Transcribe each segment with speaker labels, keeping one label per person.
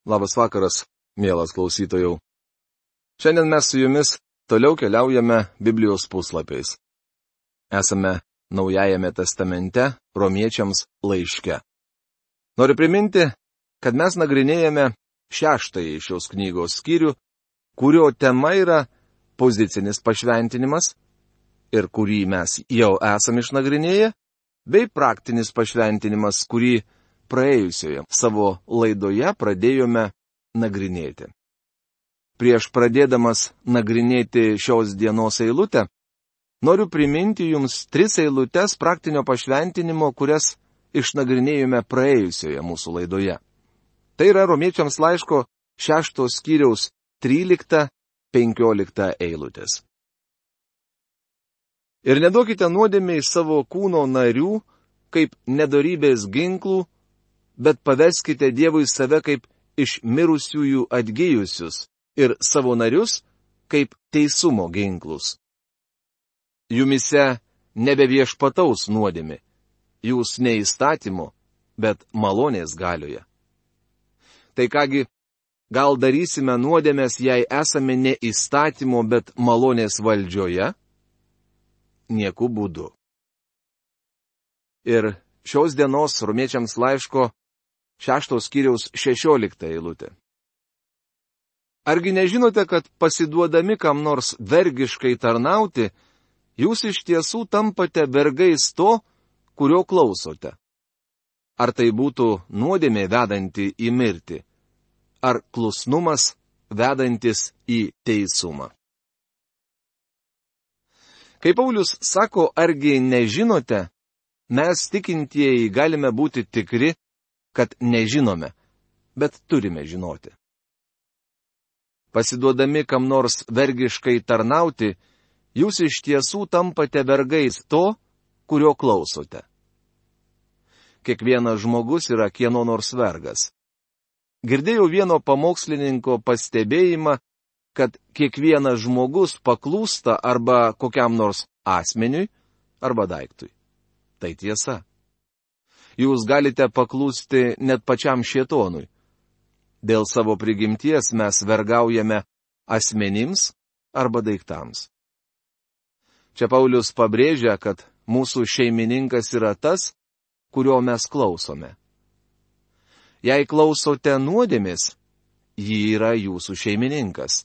Speaker 1: Labas vakaras, mielas klausytojau. Šiandien mes su jumis toliau keliaujame Biblijos puslapiais. Esame Naujajame testamente Romiečiams laiške. Noriu priminti, kad mes nagrinėjame 6 šios knygos skyrių, kurio tema yra pozicinis pašventinimas ir kurį mes jau esame išnagrinėję, bei praktinis pašventinimas, kurį praėjusioje savo laidoje pradėjome nagrinėti. Prieš pradėdamas nagrinėti šios dienos eilutę, noriu priminti jums 3 eilutes praktinio pašventinimo, kurias išnagrinėjome praėjusioje mūsų laidoje. Tai yra Romiečiams laiško 6 skyriaus 13-15 eilutės. Ir neduokite nuodėmei savo kūno narių kaip nedorybės ginklų, bet paveskite Dievui save kaip iš mirusiųjų atgijusius ir savo narius kaip teisumo ginklus. Jumise nebeviešpataus nuodėmė, jūs ne įstatymo, bet malonės galioje. Tai kągi, gal darysime nuodėmės, jei esame ne įstatymo, bet malonės valdžioje? Nieku būdu. Ir šios dienos Romiečiams laiško 6 skyriaus 16 eilutė. Argi nežinote, kad pasiduodami kam nors vergiškai tarnauti, jūs iš tiesų tampate vergais to, kurio klausote? Ar tai būtų nuodėmė vedanti į mirtį, ar klusnumas vedantis į teisumą? Kaip Paulius sako, argi nežinote, mes tikintieji galime būti tikri, kad nežinome, bet turime žinoti. Pasiduodami kam nors vergiškai tarnauti, jūs iš tiesų tampate vergais to, kurio klausote. Kiekvienas žmogus yra kieno nors vergas. Girdėjau vieno pamokslininko pastebėjimą, kad kiekvienas žmogus paklūsta arba kokiam nors asmeniui, arba daiktui. Tai tiesa. Jūs galite paklūsti net pačiam šėtonui. Dėl savo prigimties mes vergaujame asmenims arba daiktams. Čia Paulius pabrėžia, kad mūsų šeimininkas yra tas, kurio mes klausome. Jei klausote nuodėmės, ji yra jūsų šeimininkas.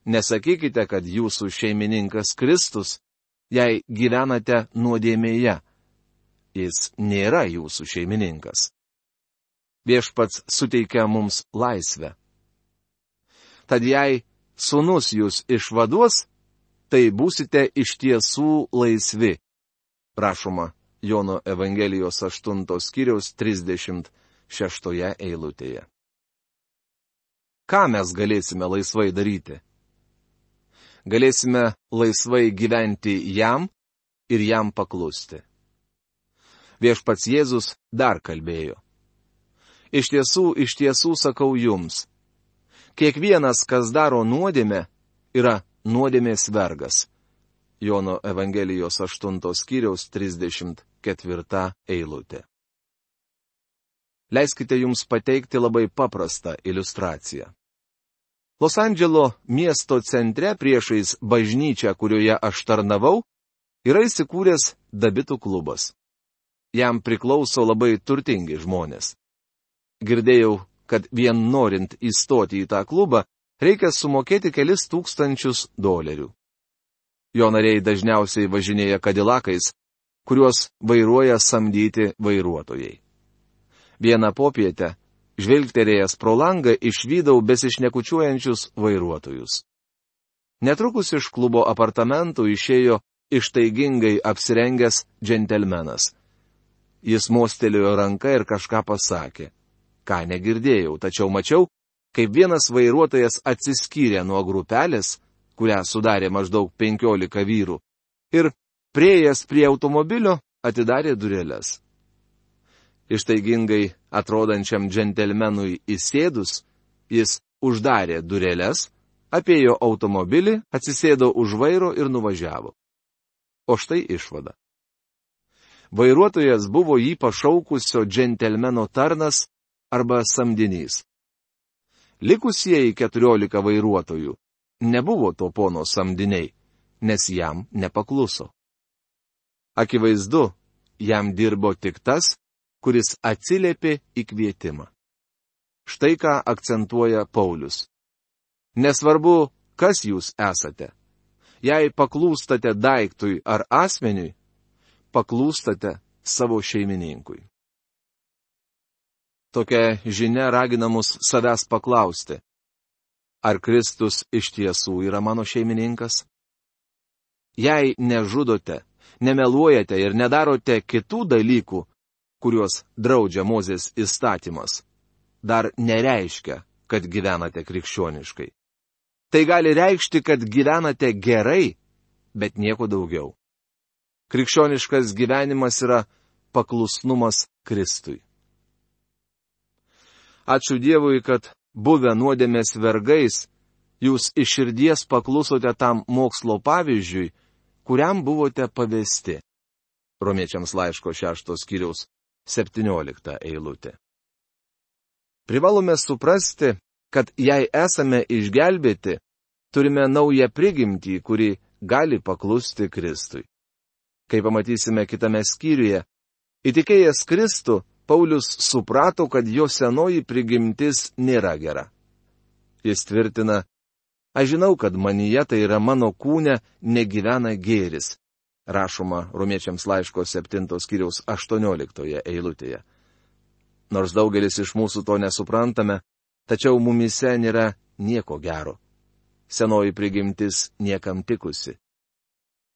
Speaker 1: Nesakykite, kad jūsų šeimininkas Kristus, jei gyvenate nuodėmėje. Jis nėra jūsų šeimininkas. Viešpats suteikia mums laisvę. Tad jei sūnus jūs išvaduos, tai būsite iš tiesų laisvi. Rašoma Jono Evangelijos 8 skyriaus 36 eilutėje. Ką mes galėsime laisvai daryti? Galėsime laisvai gyventi jam ir jam paklusti. Viešpats Jėzus dar kalbėjo. Iš tiesų sakau jums, kiekvienas, kas daro nuodėmę, yra nuodėmės vergas. Jono Evangelijos 8 skyriaus 34 eilutė. Leiskite jums pateikti labai paprastą iliustraciją. Los Andželo miesto centre priešais bažnyčią, kurioje aš tarnavau, yra įsikūręs dabitų klubas. Jam priklauso labai turtingi žmonės. Girdėjau, kad vien norint įstoti į tą klubą, reikia sumokėti kelis $1000. Jo nariai dažniausiai važinėja kadilakais, kuriuos vairuoja samdyti vairuotojai. Vieną popietę, žvilgterėjęs pro langą, išvydau besišnekučiuojančius vairuotojus. Netrukus iš klubo apartamentų išėjo ištaigingai apsirengęs džentelmenas. Jis mostelėjo ranką ir kažką pasakė. Ką negirdėjau, tačiau mačiau, kaip vienas vairuotojas atsiskyrė nuo grupelės, kurią sudarė maždaug 15 vyrų, ir priėjęs prie automobilio atidarė dureles. Ištaigingai atrodančiam džentelmenui įsėdus, jis uždarė dureles, apėjo automobilį, atsisėdo už vairo ir nuvažiavo. O štai išvada. Vairuotojas buvo jį pašaukusio džentelmeno tarnas arba samdinys. Likusieji 14 vairuotojų nebuvo to pono samdiniai, nes jam nepakluso. Akivaizdu, jam dirbo tik tas, kuris atsiliepė į kvietimą. Štai ką akcentuoja Paulius. Nesvarbu, kas jūs esate. Jei paklūstate daiktui ar asmeniui, paklūstate savo šeimininkui. Tokia žinia ragina mus savęs paklausti. Ar Kristus iš tiesų yra mano šeimininkas? Jei nežudote, nemeluojate ir nedarote kitų dalykų, kuriuos draudžia Mozės įstatymas, dar nereiškia, kad gyvenate krikščioniškai. Tai gali reikšti, kad gyvenate gerai, bet nieko daugiau. Krikščioniškas gyvenimas yra paklusnumas Kristui. Ačiū Dievui, kad buvę nuodėmės vergais, jūs iš širdies paklusote tam mokslo pavyzdžiui, kuriam buvote pavesti. Romiečiams laiško 6 skyriaus 17 eilutė. Privalome suprasti, kad jei esame išgelbėti, turime naują prigimtį, kuri gali paklusti Kristui. Kaip pamatysime kitame skyriuje, įtikėjęs Kristų, Paulius suprato, kad jo senoji prigimtis nėra gera. Jis tvirtina, aš žinau, kad manyje, tai yra mano kūne, negyvena gėris. Rašoma Romiečiams laiško 7 skyriaus 18 eilutėje. Nors daugelis iš mūsų to nesuprantame, tačiau mumise nėra nieko gero. Senoji prigimtis niekam tikusi.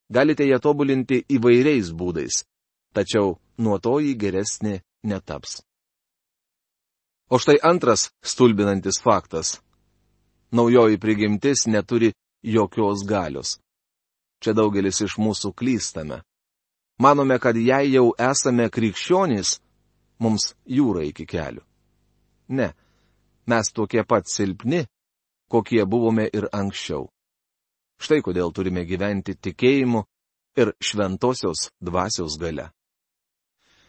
Speaker 1: Galite ją tobulinti įvairiais būdais, tačiau nuo to ji geresnė netaps. O štai antras stulbinantis faktas. Naujoji prigimtis neturi jokios galios. Čia daugelis iš mūsų klystame. Manome, kad jei jau esame krikščionys, mums jūra iki kelių. Ne, mes tokie pat silpni, kokie buvome ir anksčiau. Štai kodėl turime gyventi tikėjimu ir šventosios dvasios galia.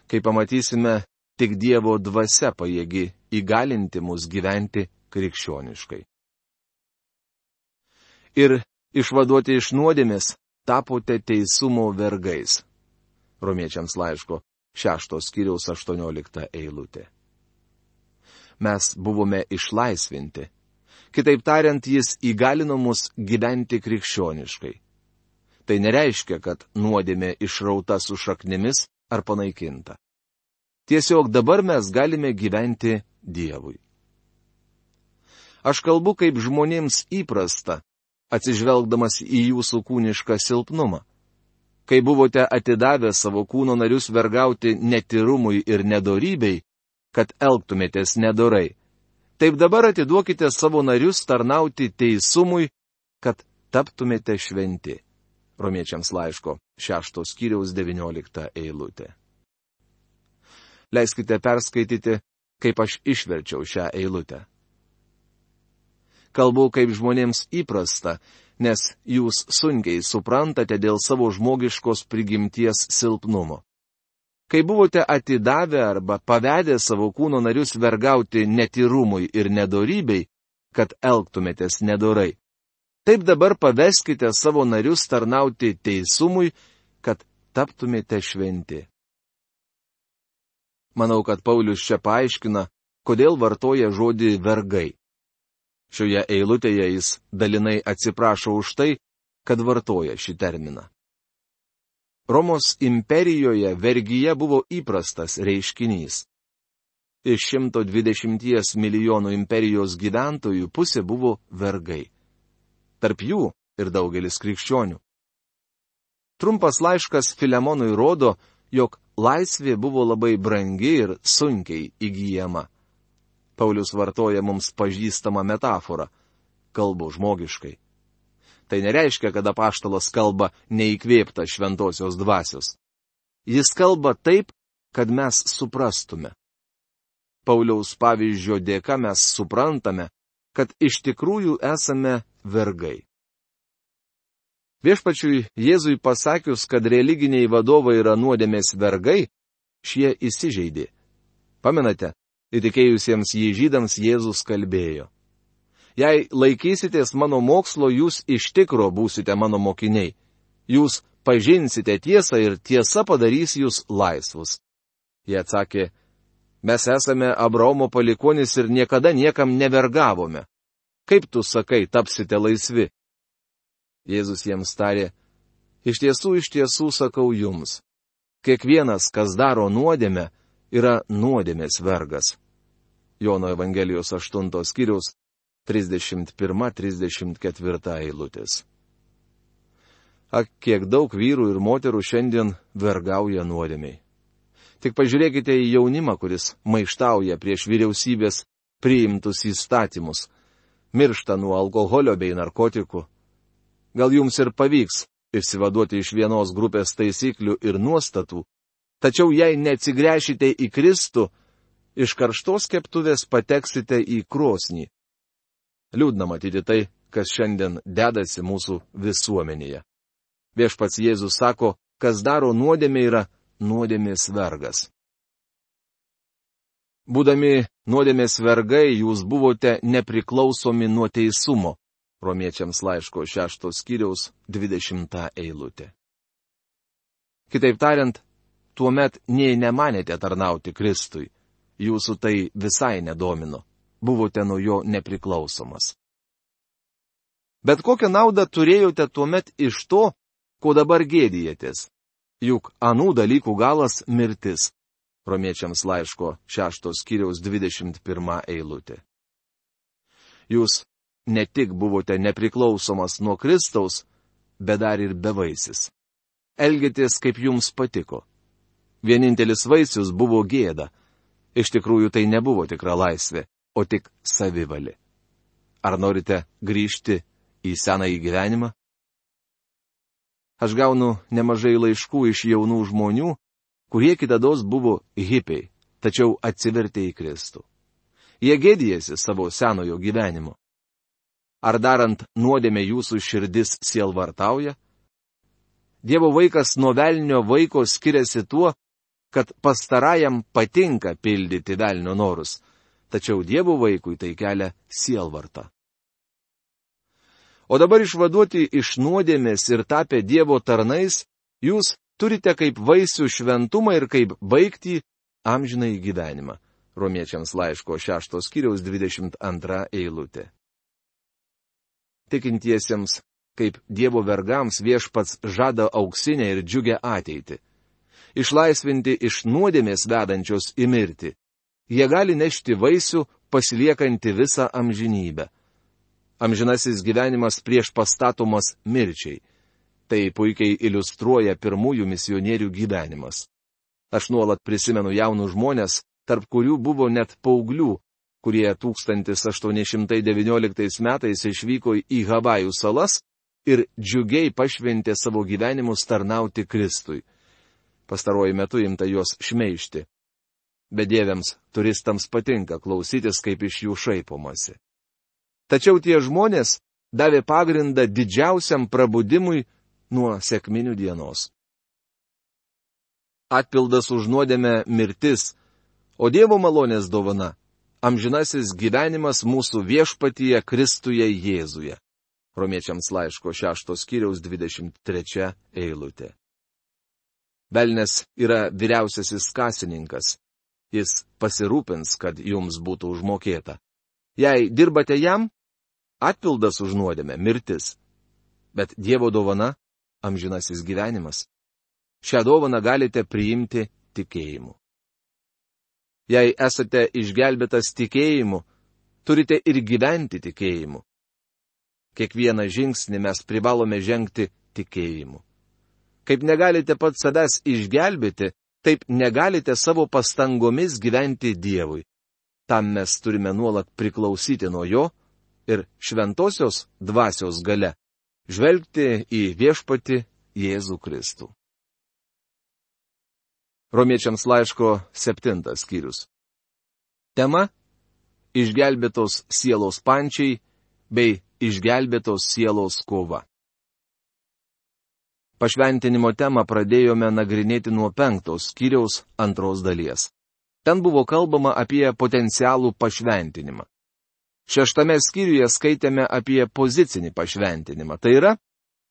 Speaker 1: Kai pamatysime, tik Dievo dvasia pajėgi įgalinti mus gyventi krikščioniškai. Ir išvaduoti iš nuodėmės tapote teisumo vergais. Romiečiams laiško 6 skyriaus 18 eilutė. Mes buvome išlaisvinti. Kitaip tariant, jis įgalino mus gyventi krikščioniškai. Tai nereiškia, kad nuodėmė išrauta su šaknimis ar panaikinta. Tiesiog dabar mes galime gyventi Dievui. Aš kalbu kaip žmonėms įprasta, atsižvelgdamas į jūsų kūnišką silpnumą. Kai buvote atidavę savo kūno narius vergauti netyrumui ir nedorybei, kad elgtumėtės nedorai, taip dabar atiduokite savo narius tarnauti teisumui, kad taptumėte šventi. Romiečiams laiško 6 skyriaus 19 eilutė. Leiskite perskaityti, kaip aš išverčiau šią eilutę. Kalbu kaip žmonėms įprasta, nes jūs sunkiai suprantate dėl savo žmogiškos prigimties silpnumo. Kai buvote atidavę arba pavedę savo kūno narius vergauti netyrumui ir nedorybei, kad elgtumėtės nedorai, taip dabar paveskite savo narius tarnauti teisumui, kad taptumėte šventi. Manau, kad Paulius čia paaiškina, kodėl vartoja žodį vergai. Šioje eilutėje jis dalinai atsiprašo už tai, kad vartoja šį terminą. Romos imperijoje vergyje buvo įprastas reiškinys. Iš 120 milijonų imperijos gyventojų pusė buvo vergai. Tarp jų ir daugelis krikščionių. Trumpas laiškas Filemonui rodo, jog laisvė buvo labai brangi ir sunkiai įgyjama. Paulius vartoja mums pažįstamą metaforą – kalbu žmogiškai. Tai nereiškia, kad apaštalas kalba neįkvėpta šventosios dvasios. Jis kalba taip, kad mes suprastume. Pauliaus pavyzdžio dėka mes suprantame, kad iš tikrųjų esame vergai. Viešpačiui Jėzui pasakius, kad religiniai vadovai yra nuodėmės vergai, šie įsižeidė. Pamenate, įtikėjusiems jį žydams Jėzus kalbėjo. Jei laikysitės mano mokslo, jūs iš tikro būsite mano mokiniai. Jūs pažinsite tiesą ir tiesa padarys jūs laisvus. Jie atsakė, mes esame Abraomo palikuonis ir niekada niekam nevergavome. Kaip tu sakai, tapsite laisvi? Jėzus jiems tarė, iš tiesų sakau jums. Kiekvienas, kas daro nuodėmę, yra nuodėmės vergas. Jono Evangelijos 8 skyriaus 31-34 eilutės. Ak, kiek daug vyrų ir moterų šiandien vergauja nuodėmiai. Tik pažiūrėkite į jaunimą, kuris maištauja prieš vyriausybės priimtus įstatymus, miršta nuo alkoholio bei narkotikų. Gal jums ir pavyks išsivaduoti iš vienos grupės taisyklių ir nuostatų, tačiau jei neatsigręšite į Kristų, iš karštos keptuvės pateksite į krosnį. Liūdna matyti tai, kas šiandien dedasi mūsų visuomenėje. Viešpats Jėzus sako, kas daro nuodėmę yra nuodėmės vergas. Būdami nuodėmės vergai, jūs buvote nepriklausomi nuo teisumo. Romiečiams laiško 6 skyriaus 20 eilutė. Kitaip tariant, tuomet nei nemanėte tarnauti Kristui. Jūsų tai visai nedomino. Buvote nuo jo nepriklausomas. Bet kokią naudą turėjote tuomet iš to, ko dabar gėdijatės? Juk anų dalykų galas mirtis. Romiečiams laiško 6 skyriaus 21 eilutė. Jūs ne tik buvote nepriklausomas nuo Kristaus, bet dar ir bevaisis. Elgėtės, kaip jums patiko. Vienintelis vaisius buvo gėda. Iš tikrųjų tai nebuvo tikra laisvė, o tik savivali. Ar norite grįžti į senąjį gyvenimą? Aš gaunu nemažai laiškų iš jaunų žmonių, kurie kitados buvo hipiai, tačiau atsivertė į Kristų. Jie gėdijasi savo senojo gyvenimo. Ar darant nuodėmę jūsų širdis sielvartauja? Dievo vaikas nuo velnio vaiko skiriasi tuo, kad pastarajam patinka pildyti velnio norus, tačiau Dievo vaikui tai kelia sielvartą. O dabar išvaduoti iš nuodėmės ir tapę Dievo tarnais, jūs turite kaip vaisių šventumą ir kaip baigtį amžinąjį gyvenimą. Romiečiams laiško 6 skyriaus 22 eilutė. Tikintiesiems, kaip Dievo vergams viešpats žada auksinę ir džiugę ateitį. Išlaisvinti iš nuodėmės vedančios į mirtį. Jie gali nešti vaisių, pasiliekantį visą amžinybę. Amžinasis gyvenimas prieš pastatomas mirčiai. Tai puikiai iliustruoja pirmųjų misionierių gyvenimas. Aš nuolat prisimenu jaunus žmonės, tarp kurių buvo net paauglių, kurie 1819 metais išvyko į Havajų salas ir džiugiai pašventė savo gyvenimus tarnauti Kristui. Pastaruoju metu imta juos šmeižti. Bedieviams turistams patinka klausytis, kaip iš jų šaipomasi. Tačiau tie žmonės davė pagrindą didžiausiam prabudimui nuo sekminių dienos. Atpildas už nuodėmę mirtis, o Dievo malonės dovana - amžinasis gyvenimas mūsų viešpatyje Kristuje Jėzuje. Romiečiams laiško 6 skyriaus 23 eilutė. Velnias yra vyriausiasis kasininkas. Jis pasirūpins, kad jums būtų užmokėta. Jei dirbate jam, atpildas už nuodėmę - mirtis. Bet Dievo dovana - amžinasis gyvenimas. Šią dovaną galite priimti tikėjimu. Jei esate išgelbėtas tikėjimu, turite ir gyventi tikėjimu. Kiekvieną žingsnį mes privalome žengti tikėjimu. Kaip negalite pats savęs išgelbėti, taip negalite savo pastangomis gyventi Dievui. Tam mes turime nuolat priklausyti nuo Jo ir šventosios dvasios galia žvelgti į viešpatį Jėzų Kristų. Romiečiams laiško 7 skyrius. Tema - išgelbėtos sielos pančiai bei išgelbėtos sielos kova. Pašventinimo temą pradėjome nagrinėti nuo 5 skyriaus 2 dalies. Ten buvo kalbama apie potencialų pašventinimą. 6 skyriuje skaitėme apie pozicinį pašventinimą. Tai yra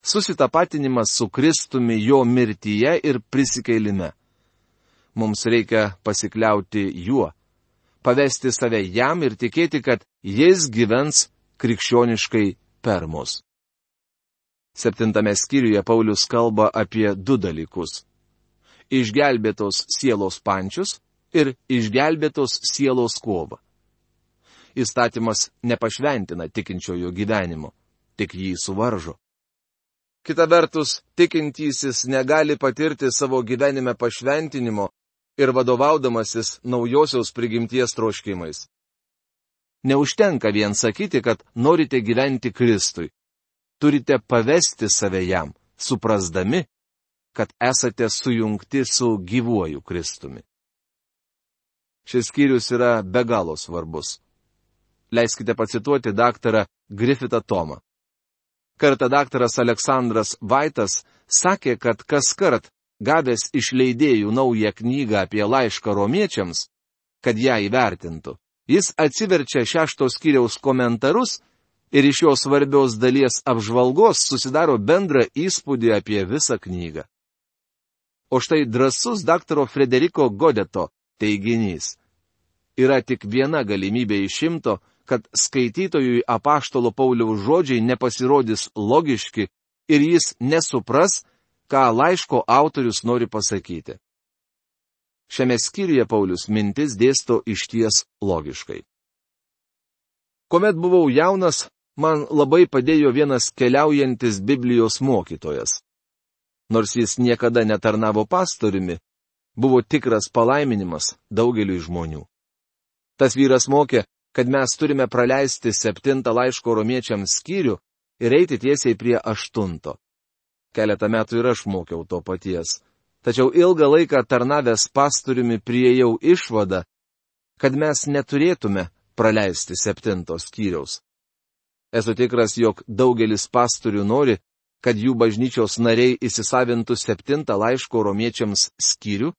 Speaker 1: susitapatinimas su Kristumi jo mirtyje ir prisikeilime. Mums reikia pasikliauti juo, pavesti save jam ir tikėti, kad jis gyvens krikščioniškai per mus. 7 skyriuje Paulius kalba apie 2 dalykus - išgelbėtos sielos pančius ir išgelbėtos sielos kovą. Įstatymas nepašventina tikinčiojo gyvenimo, tik jį suvaržo. Kita vertus, tikintysis negali patirti savo gyvenime pašventinimo ir vadovaudamasis naujosios prigimties troškimais. Neužtenka vien sakyti, kad norite gyventi Kristui. Turite pavesti save jam, suprasdami, kad esate sujungti su gyvuoju Kristumi. Šis skyrius yra be galo svarbus. Leiskite pacituoti daktarą Griffithą Tomą. Kartą daktaras Aleksandras Vaitas sakė, kad kaskart gavęs iš leidėjų naują knygą apie laišką romiečiams, kad ją įvertintų, jis atsiverčia 6 skyriaus komentarus ir iš jo svarbios dalies apžvalgos susidaro bendrą įspūdį apie visą knygą. O štai drąsus daktaro Frederiko Godeto teiginys. Yra tik viena galimybė iš 100, kad skaitytojui apaštalo Pauliaus žodžiai nepasirodys logiški ir jis nesupras, ką laiško autorius nori pasakyti. Šiame skyriuje Paulius mintis dėsto išties logiškai. Kuomet buvau jaunas, man labai padėjo vienas keliaujantis Biblijos mokytojas. Nors jis niekada netarnavo pastoriumi, buvo tikras palaiminimas daugeliui žmonių. Tas vyras mokė, kad mes turime praleisti 7 laiško romiečiams skyrių ir eiti tiesiai prie 8. Keletą metų ir aš mokiau to paties. Tačiau ilgą laiką tarnavęs pastoriumi priėjau išvadą, kad mes neturėtume praleisti 7 skyriaus. Esu tikras, jog daugelis pastorių nori, kad jų bažnyčios nariai įsisavintų 7 laiško romiečiams skyrių,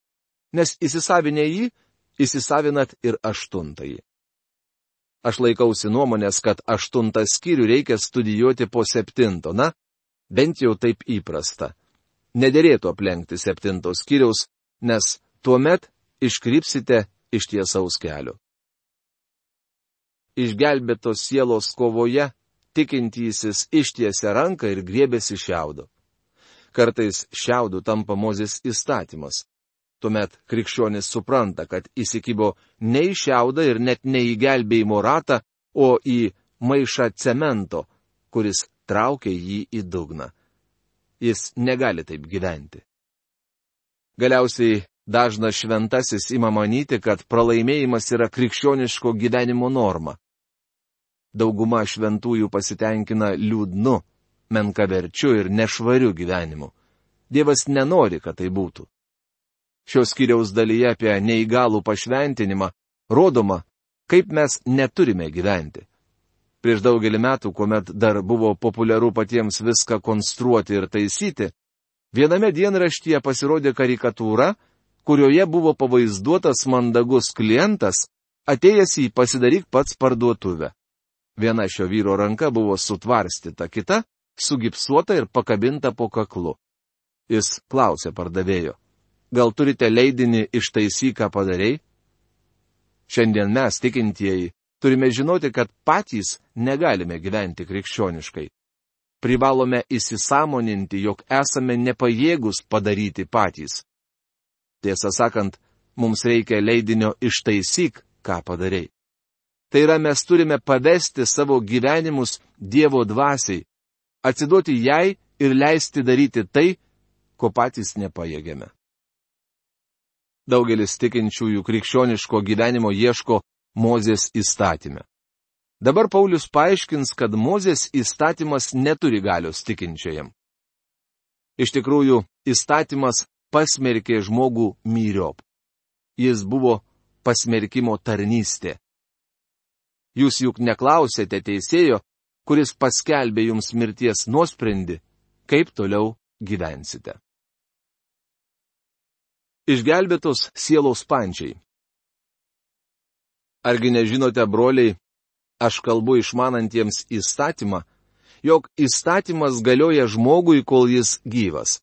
Speaker 1: nes įsisavinę jį, įsisavinat ir 8. Aš laikausi nuomonės, kad 8 skyrių reikia studijuoti po 7, na, bent jau taip įprasta. Nederėtų aplenkti 7 skyriaus, nes tuomet iškrypsite iš tiesaus kelio. Išgelbėtos sielos kovoje tikintysis ištiesia ranką ir griebėsi šiaudo. Kartais šiaudų tampa Mozės įstatymas. Tuomet krikščionis supranta, kad įsikibo ne į šiaudą ir net ne į gelbėjimo ratą, o į maišą cemento, kuris traukia jį į dugną. Jis negali taip gyventi. Galiausiai dažnas šventasis ima manyti, kad pralaimėjimas yra krikščioniško gyvenimo norma. Dauguma šventųjų pasitenkina liūdnu, menkaverčiu ir nešvariu gyvenimu. Dievas nenori, kad tai būtų. Šios skyriaus dalyje apie neįgalų pašventinimą rodoma, kaip mes neturime gyventi. Prieš daugelį metų, kuomet dar buvo populiaru patiems viską konstruoti ir taisyti, viename dienraštyje pasirodė karikatūra, kurioje buvo pavaizduotas mandagus klientas, atėjęs į pasidaryk pats parduotuvę. Viena šio vyro ranka buvo sutvarstyta, kita sugipsuota ir pakabinta po kaklu. Jis klausė pardavėjo: gal turite leidinį ištaisyk, ką padarei? Šiandien mes, tikintieji, turime žinoti, kad patys negalime gyventi krikščioniškai. Privalome įsisąmoninti, jog esame nepajėgus padaryti patys. Tiesą sakant, mums reikia leidinio ištaisyk, ką padarei. Tai yra, mes turime pavesti savo gyvenimus Dievo dvasiai, atsiduoti jai ir leisti daryti tai, ko patys nepajėgiame. Daugelis tikinčiųjų krikščioniško gyvenimo ieško Mozės įstatyme. Dabar Paulius paaiškins, kad Mozės įstatymas neturi galios tikinčiajam. Iš tikrųjų, įstatymas pasmerkė žmogų myriop. Jis buvo pasmerkimo tarnystė. Jūs juk neklausėte teisėjo, kuris paskelbė jums mirties nuosprendį, kaip toliau gyvensite. Išgelbėtos sielos pančiai. Argi nežinote, broliai, aš kalbu išmanantiems įstatymą, jog įstatymas galioja žmogui, kol jis gyvas.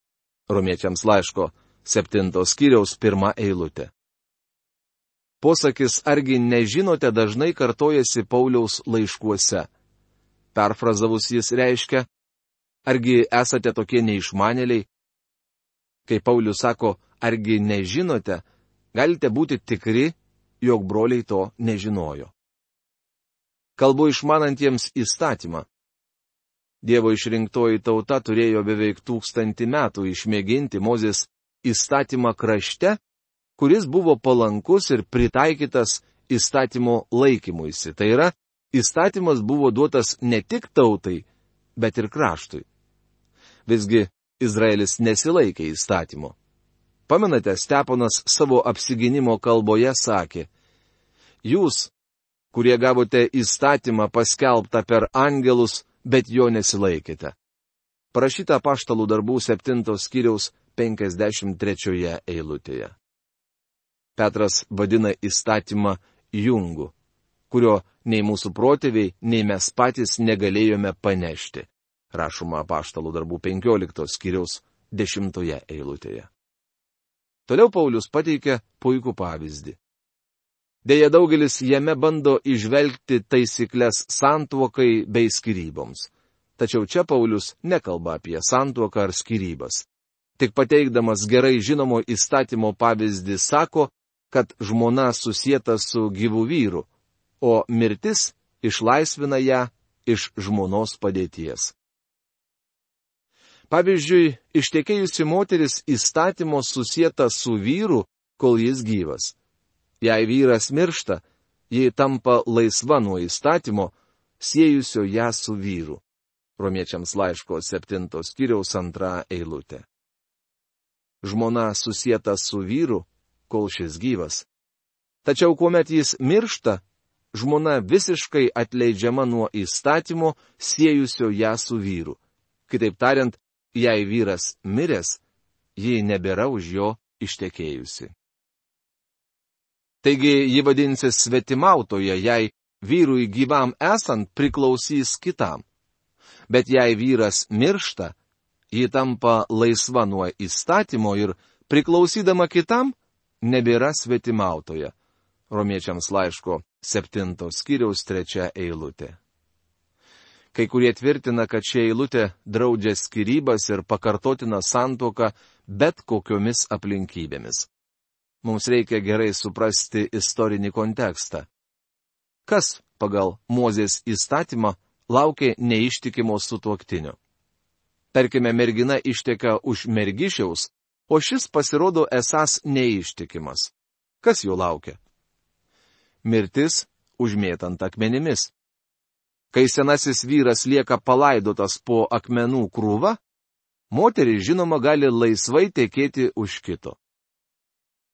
Speaker 1: Romiečiams laiško 7 skyriaus 1 eilutė. Posakis argi nežinote dažnai kartojasi Pauliaus laiškuose. Perfrazavus jis reiškia, argi esate tokie neišmanėliai? Kai Paulius sako, argi nežinote, galite būti tikri, jog broliai to nežinojo. Kalbu išmanantiems įstatymą. Dievo išrinktoji tauta turėjo beveik 1000 metų išmėginti Mozės įstatymą krašte, kuris buvo palankus ir pritaikytas įstatymo laikymuisi. Tai yra, įstatymas buvo duotas ne tik tautai, bet ir kraštui. Visgi Izraelis nesilaikė įstatymo. Pamenate, Steponas savo apsigynimo kalboje sakė, jūs, kurie gavote įstatymą paskelbtą per angelus, bet jo nesilaikėte. Parašyta Apaštalų darbų 7 skyriaus 53 eilutėje. Petras vadina įstatymą jungu, kurio nei mūsų protėviai, nei mes patys negalėjome panešti. Rašoma Apaštalų darbų 15 skyriaus 10 eilutėje. Toliau Paulius pateikia puikų pavyzdį. Deja, daugelis jame bando įžvelgti taisyklės santuokai bei skyryboms. Tačiau čia Paulius nekalba apie santuoką ar skyrybas. Tik pateikdamas gerai žinomo įstatymo pavyzdį sako, kad žmona susieta su gyvu vyru, o mirtis išlaisvina ją iš žmonos padėties. Pavyzdžiui, ištekėjusi moteris įstatymo susieta su vyru, kol jis gyvas. Jei vyras miršta, ji tampa laisva nuo įstatymo, siejusio ją su vyru. Romiečiams laiško 7 skyriaus 2 eilutė. Žmona susieta su vyru, kol šis gyvas. Tačiau kuomet jis miršta, žmona visiškai atleidžiama nuo įstatymo, siejusio ją su vyru. Kitaip tariant, jei vyras miręs, ji nebėra už jo ištekėjusi. Taigi ji vadinsis svetimautoja, jei vyrui gyvam esant priklausys kitam. Bet jei vyras miršta, ji tampa laisva nuo įstatymo ir priklausydama kitam, nebėra svetimautoja. Romiečiams laiško 7 skyriaus 3 eilutė. Kai kurie tvirtina, kad ši eilutė draudžia skyrybas ir pakartotina santuoką bet kokiomis aplinkybėmis. Mums reikia gerai suprasti istorinį kontekstą. Kas pagal Mozės įstatymą laukė neištikimo sutuoktinio? Tarkime, mergina išteka už mergišiaus, o šis pasirodo esąs neištikimas. Kas jo laukia? Mirtis užmėtant akmenimis. Kai senasis vyras lieka palaidotas po akmenų krūva, moteris žinoma gali laisvai tekėti už kito.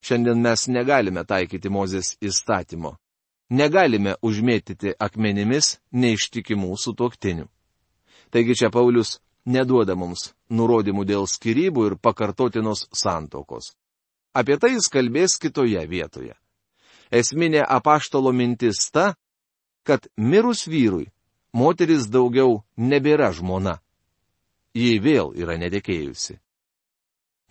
Speaker 1: Šiandien mes negalime taikyti Mozės įstatymo. Negalime užmėtyti akmenimis neištikimų sutuoktinių. Taigi čia Paulius neduoda mums nurodymų dėl skyrybų ir pakartotinos santuokos. Apie tai jis kalbės kitoje vietoje. Esminė apaštalo mintis ta, kad mirus vyrui, moteris daugiau nebėra žmona. Ji vėl yra netekėjusi.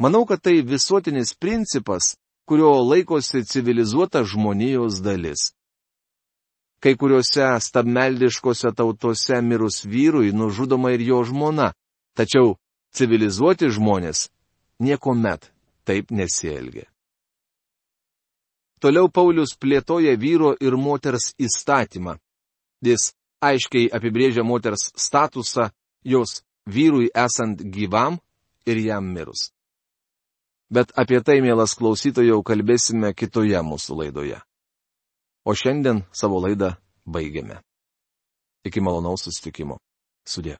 Speaker 1: Manau, kad tai visuotinis principas, kurio laikosi civilizuota žmonijos dalis. Kai kuriuose stabmeldiškose tautose mirus vyrui nužudoma ir jo žmona, tačiau civilizuoti žmonės niekuomet taip nesielgia. Toliau Paulius plėtoja vyro ir moters įstatymą. Jis aiškiai apibrėžia moters statusą, jos vyrui esant gyvam ir jam mirus. Bet apie tai, mielas klausytojau, kalbėsime kitoje mūsų laidoje. O šiandien savo laidą baigiame. Iki malonaus susitikimo. Sudie.